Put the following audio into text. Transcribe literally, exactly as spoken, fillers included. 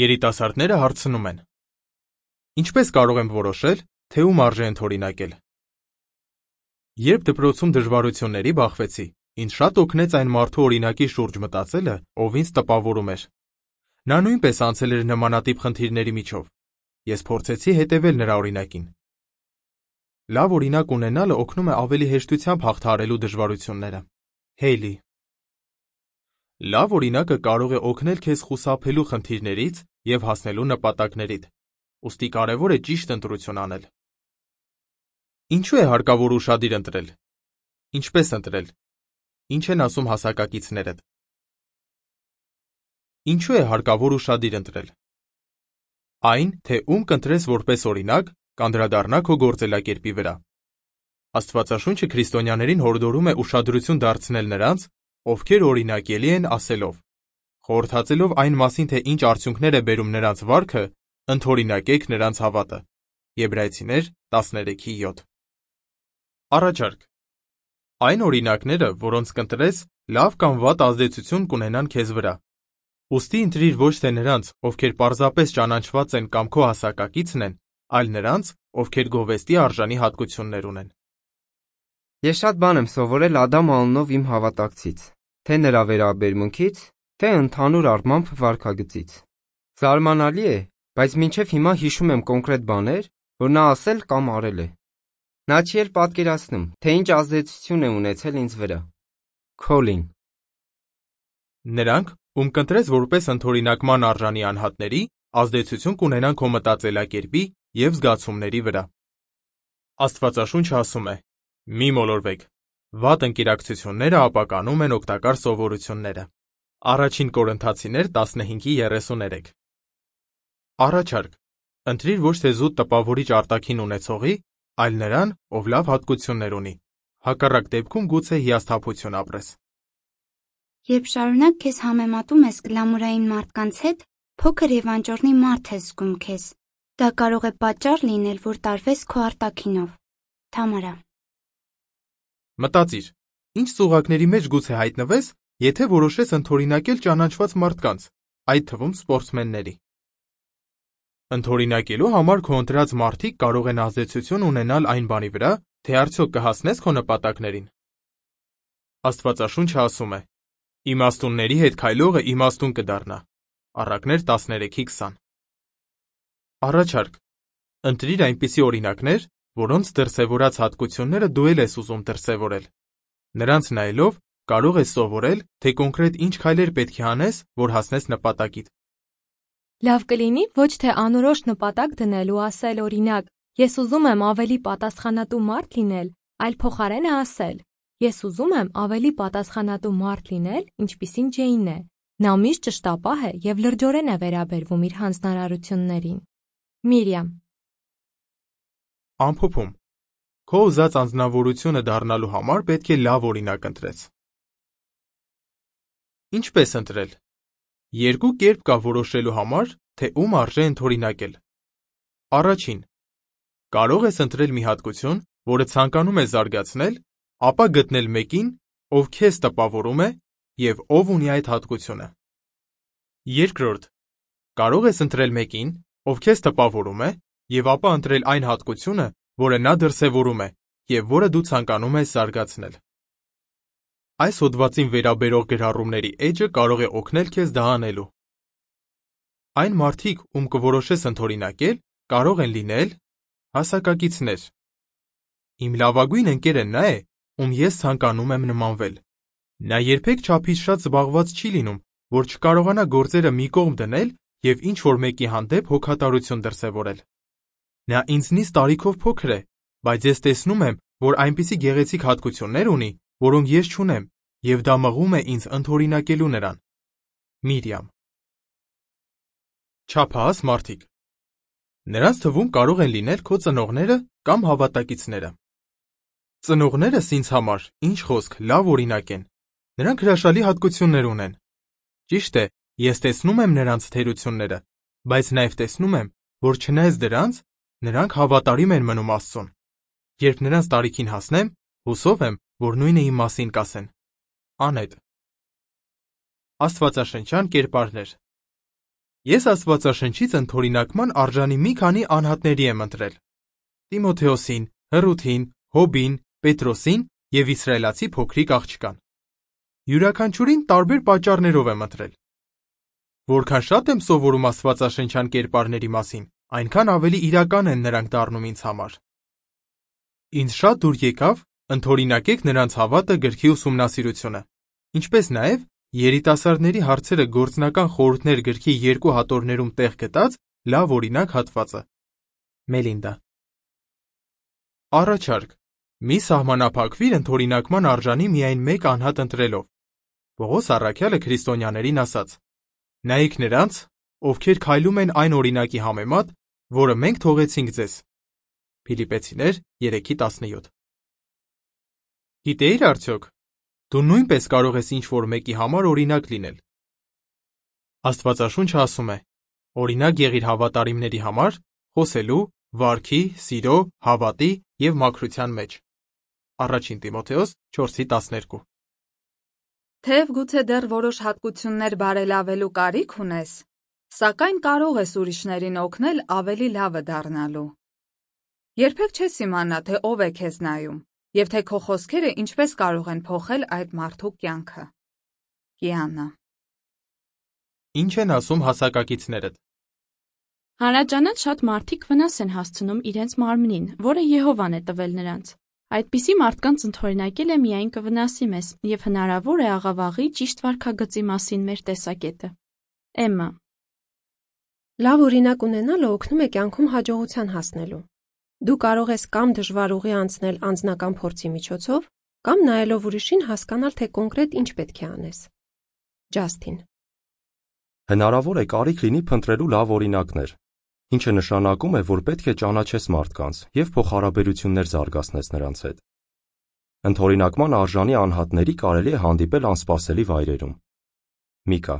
Երիտասարդները հարցնում են. Ինչպես կարող եմ որոշել, թե ում արժե ընդօրինակել։ Երբ դպրոցում դժվարությունների բախվեցի, ինձ շատ օգնեց այն մարդու օրինակի շուրջ մտածելը, ով ինձ տպավորում էր։ Նա նույնպես անցել էր նմանատիպ խնդիրների միջով։ Ես փորձեցի հետևել նրա օրինակին։ Լավ օրինակ ունենալը օգնում է ավելի հեշտությամբ հաղթահարելու դժվարությունները։ Հեյլի։ Լավ օրինակը կարող է օգնել քեզ խուսափելու խնդիրներից և հասնելու նպատակներիդ, ուստի կարևոր է ճիշտ ընտրություն անել։ Ինչու է հարկավոր ուշադիր ընտրել։ Ինչպես ընտրել։ Ինչ են ասում հասակակիցներդ։ Ինչու է հարկավոր ուշադիր ընտրել։ Այն, թե ում կընտրես որպես օրինակ, կանդրադառնա քո գործելակերպի վրա։ Աստվածաշունչը քրիստոնյաներին հորդորում է ուշադրություն դարձնել նրանց, ովքեր օրինակելի են ասելով, խորհրդածելով այն մասին, թե ինչ արդյունքներ է բերում նրանց վարքը, ընդօրինակեք նրանց հավատը։ Եբրայեցիներ տասներեքի յոթ։ Առաջարկ։ Այն օրինակները, որոնց կընտրես, լավ կամ վատ ազդեցություն կունենան քեզ վրա։ Ուստի ընտրիր ոչ թե նրանց, ովքեր պարզապես ճանաչված են կամ քո հասակակիցն են, այլ նրանց, ովքեր գովեստի արժանի հատկություններ ունեն։ Ես շատ բան եմ սովորել Ադամ անունով իմ հավատակցից, թե նրա վերաբերմունքից, թե ընդհանուր առմամբ վարքագծից։ Զարմանալի է, բայց մինչև հիմա հիշում եմ կոնկրետ բաներ, որ նա ասել կամ արել է։ Նա չի էլ պատկերացնում, թե ինչ ազդեցություն է ունեցել ինձ վրա։ Քոլին։ Նրանք, ում կընտրես որպես ընդօրինակման արժանի անհատների, ազդեցություն կունենան քո մտածելակերպի և զգացումների վրա։ Աստվածաշունչը ասում է. Մի մոլորվեք, վատ ընկերակցությունները ապականում են օգտակար սովորությունները։ Առաջին Կորինթացիներ տասնհինգի երեսուներեք։ Առաջարկ. ընտրիր ոչ թե զուտ տպավորիչ արտաքին ունեցողի, այլ նրան, ով լավ հատկություններ ունի։ Հակառակ դեպքում գուցե հիասթափություն ապրես։ Երբ շարունակ քեզ համեմատում ես գլամուրային մարդկանց հետ, փոքր և անճոռնի մարդ ես զգում քեզ։ Դա կարող է պատճառ լինել, որ տարվես քո արտաքինով։ Թամարա։ Մտածիր, ինչ ծուղակների մեջ գուցե հայտնվես, եթե որոշես ընդօրինակել ճանաչված մարդկանց, այդ թվում սպորտսմենների։ Ընդօրինակելու համար քո ընտրած մարդիկ կարող են ազդեցություն ունենալ այն բանի վրա, թե արդյոք կհասնես քո նպատակներին։ Աստվածաշունչը ասում է. Իմաստունների հետ քայլողը իմաստուն կդառնա։ Առակներ տասներեքի քսան։ Առաջարկ. ընտրիր այնպիսի օրինակներ, որոնց դրսևորած հատկությունները դու էլ ես ուզում դրսևորել։ Նրանց նայելով կարող ես սովորել, թե կոնկրետ ինչ քայլեր պետք է անես, որ հասնես նպատակիդ։ Լավ կլինի ոչ թե անորոշ նպատակ դնել ու ասել օրինակ, ես ուզում եմ ավելի պատասխանատու մարդ լինել, այլ փոխարենը ասել, ես ուզում եմ ավելի պատասխանատու մարդ լինել, ինչպիսին Ջեյնն է։ Նա միշտ ճշտապահ է և լրջորեն է վերաբերվում իր հանձնարարություններին։ Միրիամ։ Ամփոփում. Քո ուզած անձնավորությունը դառնալու համար պետք է լավ օրինակ ընտրես։ Ինչպես ընտրել։ Երկու կերպ կա որոշելու համար, թե ում արժե ընդօրինակել։ Առաջին. կարող ես ընտրել մի հատկություն, որը ցանկանում ես զարգացնել, ապա գտնել մեկին, ով քեզ տպավորում է և ով ունի այդ հատկությունը։ Երկրորդ. կարող ես ընտրել մեկին, ով քեզ տպավորում է, և ապա ընտրել այն հատկությունը, որը նա դրսևորում է, և որը դու ցանկանում ես զարգացնել։ Այս հոդվածին վերաբերող գրառումների էջը կարող է օգնել քեզ դա անելու։ Այն մարդիկ, ում կորոշես ընդօրինակել, կարող են լինել հասակակիցներ։ Իմ լավագույն ընկերը նա է, ում ես ցանկանում եմ նմանվել։ Նա երբեք չափից շատ զբաղված չի լինում, որ չկարողանա գործերը մի կողմ դնել և ինչ-որ մեկի հանդեպ հոգատարություն դրսևորել։ Նա ինձնից տարիքով փոքր է, բայց ես տեսնում եմ, որ այնպիսի գեղեցիկ հատկություններ ունի, որոնք ես չունեմ, և դա մղում է ինձ ընդօրինակելու նրան։ Միրիամ։ Չափահաս մարդիկ։ Նրանց թվում կարող են լինել քո ծնողները կամ հավատակիցները։ Ծնողներս ինձ համար, ինչ խոսք, լավ օրինակ են։ Նրանք հրաշալի հատկություններ ունեն։ Ճիշտ է, ես տեսնում եմ նրանց թերությունները, բայց նաև տեսնում եմ, որ չնայած դրանց, նրանք հավատարիմ են մնում Աստծուն։ Երբ նրանց տարիքին հասնեմ, հուսով եմ, որ նույնը իմ մասին կասեն։ Անետ։ Աստվածաշնչյան կերպարներ։ Ես Աստվածաշնչից ընդօրինակման արժանի մի քանի անհատների եմ ընտրել. Տիմոթեոսին, Հռութին, Հոբին, Պետրոսին եւ իսրայելացի փոքրիկ աղջկան։ Յուրաքանչյուրին տարբեր պատճառներով եմ ընտրել։ Որքան շատ եմ սովորում աստվածաշնչյան կերպարների մասին, այնքան ավելի իրական են նրանք դառնում ինձ համար։ Ինձ շատ դուր եկավ ընդօրինակեք նրանց հավատը գրքի ուսումնասիրությունը, ինչպես նաև երիտասարդների հարցերը գործնական խորհուրդներ գրքի երկու հատորներում տեղ գտած լավ օրինակ հատվածը։ Մելինդա։ Առաջարկ. մի սահմանափակվիր ընդօրինակման արժանի միայն մեկ անհատ ընտրելով։ Պողոս առաքյալը քրիստոնյաներին ասաց. նայեք նրանց, ովքեր քայլում են այն օրինակի համեմատ, որը մենք թողեցինք ձեզ։ Փիլիպպեցիներ երեքի տասնյոթ։ Գիտեիր արդյոք, դու նույնպես կարող ես ինչ-որ մեկի համար օրինակ լինել։ Աստվածաշունչը ասում է. օրինակ եղիր հավատարիմների համար, խոսելու, վարքի, սիրո, հավատի և մաքրության մեջ։ Առաջին Տիմոթեոս չորսի տասներկու։ Թեև գուցե դեռ որոշ հատկություններ բարելավելու կարիք ունես, սակայն կարող ես ուրիշներին օգնել ավելի լավը դառնալու։ Երբեք չես իմանա, թե ով է քեզ նայում, և թե քո խոսքերը ինչպես կարող են փոխել այդ մարդու կյանքը։ Կիանա։ Ինչ են ասում հասակակիցներդ։ Հանրաճանաչ շատ մարդիկ վնաս են հասցնում իրենց մարմնին, որը Եհովան է տվել նրանց։ Այդպիսի մարդկանց ընդօրինակելը միայն կվնասի մեզ, և հնարավոր է աղավաղի ճիշտ վարքագծի մասին մեր տեսակետը։ Էմմա։ Լավ օրինակ ունենալը օգնում է կյանքում հաջողության հասնելու։ Դու կարող ես կամ դժվար ուղի անցնել անձնական փորձի միջոցով, կամ նայելով ուրիշին հասկանալ, թե կոնկրետ ինչ պետք է անես։ Ջասթին։ Հնարավոր է կարիք լինի փնտրելու լավ օրինակներ, ինչը նշանակում է, որ պետք է ճանաչես մարդկանց և փոխհարաբերություններ զարգացնես նրանց հետ։ Ընդօրինակման արժանի անհատների կարելի է հանդիպել անսպասելի վայրերում։ Միկա։